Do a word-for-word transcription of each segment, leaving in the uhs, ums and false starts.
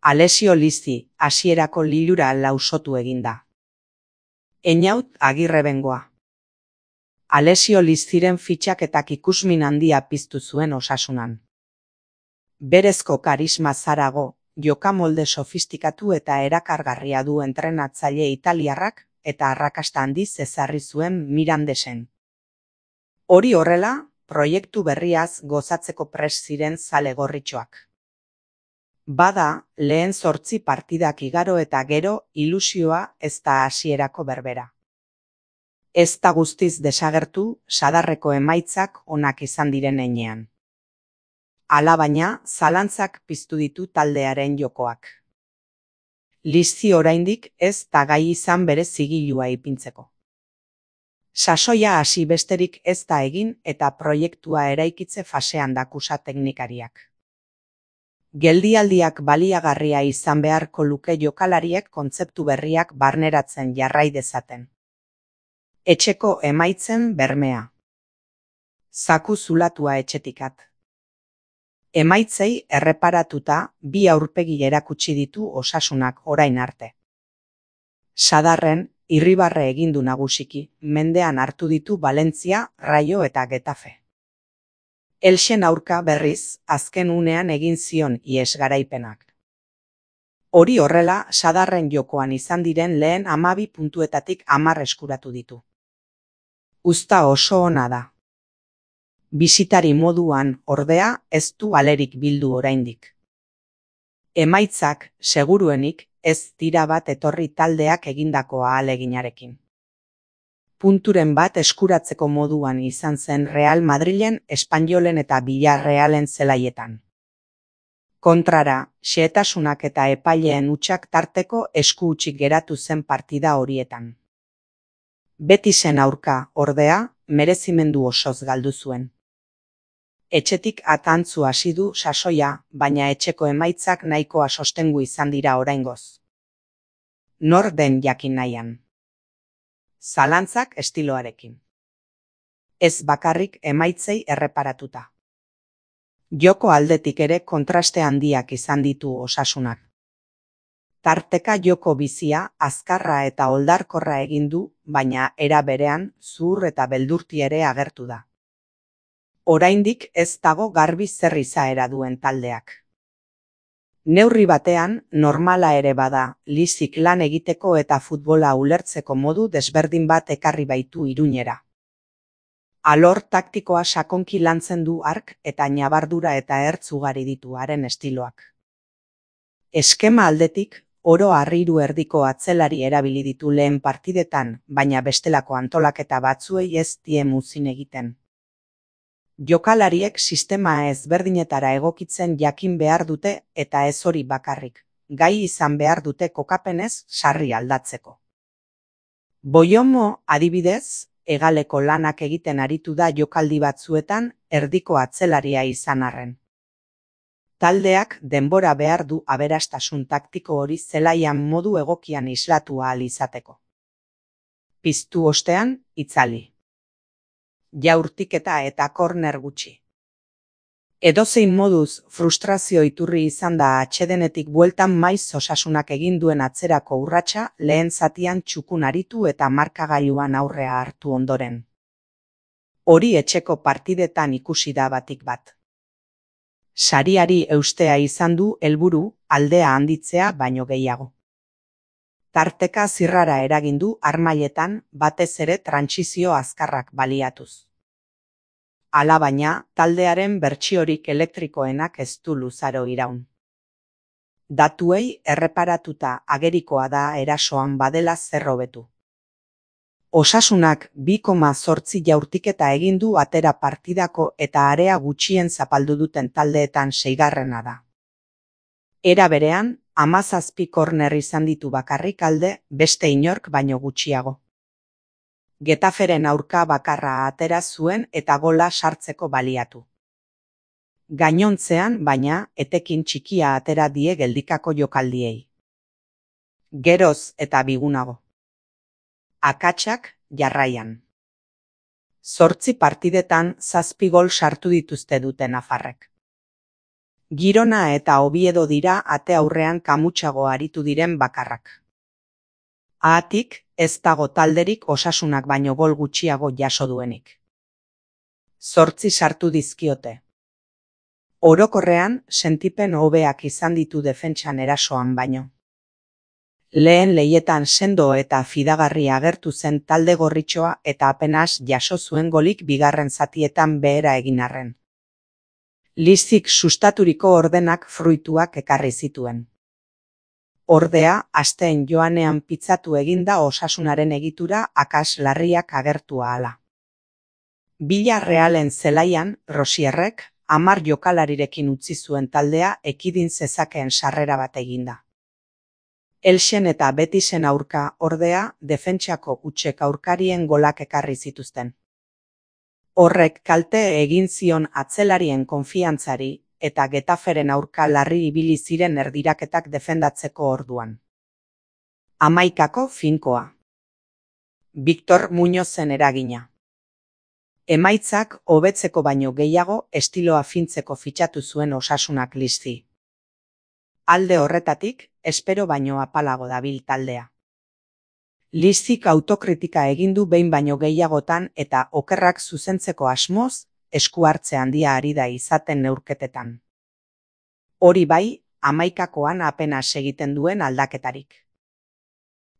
Alessio Lizzi, hasierako lilura lausotu eginda. Einaut Agirrebengoa. Alessio Lizziren fitxaketak ikusmin handia piztu zuen Osasunan. Berezko karisma zarago, jokamolde sofistikatu eta erakargarria du entrenatzaile italiarrak eta arrakasta handiz ezarri zuen Mirandesen. Hori horrela, proiektu berriaz gozatzeko prest ziren zale gorritxoak. Bada, lehen zortzi partidak igaro eta gero ilusioa ez da hasierako berbera. Ez da guztiz desagertu sadarreko emaitzak onak izan diren heinean. Alabaina, zalantzak piztu ditu taldearen jokoak. Lizzi oraindik ez da gai izan bere zigilua ipintzeko. Sasoia hasi besterik ez da egin eta proiektua eraikitze fasean dakusa teknikariak. Geldialdiak baliagarria izan beharko luke jokalariek kontzeptu berriak barneratzen jarrai dezaten. Etxeko emaitzen bermea. Zaku zulatua etxetikat. Emaitzei erreparatuta bi aurpegi erakutsi ditu Osasunak orain arte. Sadarren, irribarre egindu nagusiki, mendean hartu ditu Valentzia, Raio eta Getafe. Elxen aurka berriz, azken unean egin zion ihes garaipenak. Hori horrela, sadarren jokoan izan diren lehen hamabi puntuetatik hamar eskuratu ditu. Uzta oso ona da. Bisitari moduan, ordea, ez du alerik bildu oraindik. Emaitzak, seguruenik, ez dira bat etorri taldeak egindako ahaleginarekin. Punturen bat eskuratzeko moduan izan zen Real Madrilen, Espainolen eta Villarrealen zelaietan. Kontrara, xehetasunak eta epaileen hutsak tarteko esku hutsik geratu zen partida horietan. Betisen aurka, ordea, merezimendu osoz galdu zuen. Etxetik atantzu hasi du sasoia, baina etxeko emaitzak nahikoa sostengu izan dira oraingoz. Nor den jakin nahian. Zalantzak estiloarekin. Ez bakarrik emaitzei erreparatuta. Joko aldetik ere kontraste handiak izan ditu Osasunak. Tarteka joko bizia, azkarra eta oldarkorra egin du, baina era berean zuhur eta beldurti ere agertu da. Oraindik ez dago garbi zer izaera duen taldeak. Neurri batean, normala ere bada, Lizzik lan egiteko eta futbola ulertzeko modu desberdin bat ekarri baitu Iruñera. Alor taktikoa sakonki lantzen du hark eta ñabardura eta ertz ugari ditu haren estiloak. Eskema aldetik, oro harriru erdiko atzelari erabili ditu lehen partidetan, baina bestelako antolaketa batzuei ez die muzin egiten. Jokalariek sistema ezberdinetara egokitzen jakin behar dute eta ez hori bakarrik, gai izan behar dute kokapenez sarri aldatzeko. Boiomo, adibidez, hegaleko lanak egiten aritu da jokaldi batzuetan erdiko atzelaria izan arren. Taldeak denbora behar du aberastasun taktiko hori zelaian modu egokian islatu ahal izateko. Piztu ostean, itzali. Jaurtiketa eta korner gutxi. Edozein moduz frustrazio iturri izan da atsedenetik bueltan maiz Osasunak egin duen atzerako urratsa lehen zatian txukun aritu eta markagailuan aurrea hartu ondoren. Hori etxeko partidetan ikusi da batik bat. Sariari eustea izan du helburu aldea handitzea baino gehiago. Tarteka zirrara eragin du harmailetan batez ere trantsizio azkarrak baliatuz. Alabaina, taldearen bertsiorik elektrikoenak ez du luzaro iraun. Datuei erreparatuta agerikoa da erasoan badela zer hobetu. Osasunak bi koma zortzi jaurtiketa egin du atera partidako eta area gutxien zapaldu duten taldeetan seigarrena da. Era berean, hamazazpi korner izan ditu bakarrik alde, beste inork baino gutxiago. Getaferen aurka bakarra atera zuen eta gola sartzeko baliatu. Gainontzean, baina, etekin txikia atera die geldikako jokaldiei. Geroz eta bigunago. Akatsak jarraian. Zortzi partidetan zazpi gol sartu dituzte dute nafarrek. Girona eta Oviedo dira ate aurrean kamutsago aritu diren bakarrak. Haatik, ez dago talderik Osasunak baino gol gutxiago jaso duenik. Zortzi sartu dizkiote. Orokorrean, sentipen hobeak izan ditu defentsan erasoan baino. Lehen leietan sendo eta fidagarri agertu zen talde gorritxoa eta apenas jaso zuen golik bigarren zatietan behera egin arren. Lizik sustaturiko ordenak fruituak ekarri zituen. Ordea, asteen joanean pitzatu eginda Osasunaren egitura akas larriak agertu ahala. Villarrealen zelaian, Rosierrek, hamar jokalarirekin utzi zuen taldea ekidin zezakeen sarrera bat eginda. Elxen eta Betisen aurka, ordea, defentsako hutsek aurkarien golak ekarri zituzten. Horrek kalte egin zion atzelarien konfiantzari eta Getaferen aurka larri ibili ziren erdiraketak defendatzeko orduan. Hamaikako finkoa. Victor Muñozen eragina. Emaitzak hobetzeko baino gehiago estiloa fintzeko fitxatu zuen Osasunak Lizi. Alde horretatik, espero baino apalago dabil taldea. Lizik autokritika egin du behin baino gehiagotan eta okerrak zuzentzeko asmoz, esku hartze handia ari da izaten neurketetan. Hori bai, hamaikakoan apenas egiten duen aldaketarik.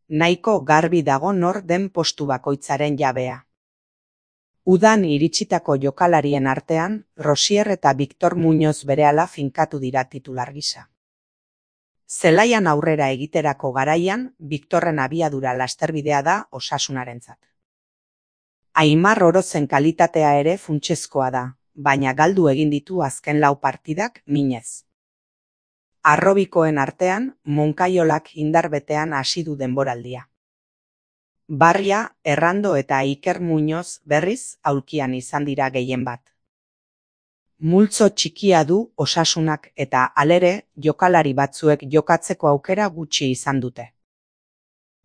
Nahiko garbi dago nor den postu bakoitzaren jabea. Udan iritsitako jokalarien artean, Rosier eta Victor Muñoz berehala finkatu dira titular gisa. Zelaian aurrera egiterako garaian, Victorren abiadura lasterbidea da Osasunarentzat. Aimar Orozen kalitatea ere funtsezkoa da, baina galdu egin ditu azken lau partidak minez. Arrobikoen artean, Monkaiolak indarbetean hasi du denboraldia. Barria, Errando eta Iker Muñoz berriz aulkian izan dira gehien bat. Multzo txikia du Osasunak eta alere jokalari batzuek jokatzeko aukera gutxi izan dute.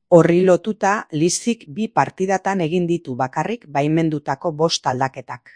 Horri lotuta Lizik bi partidatan egin ditu bakarrik baimendutako bost aldaketak.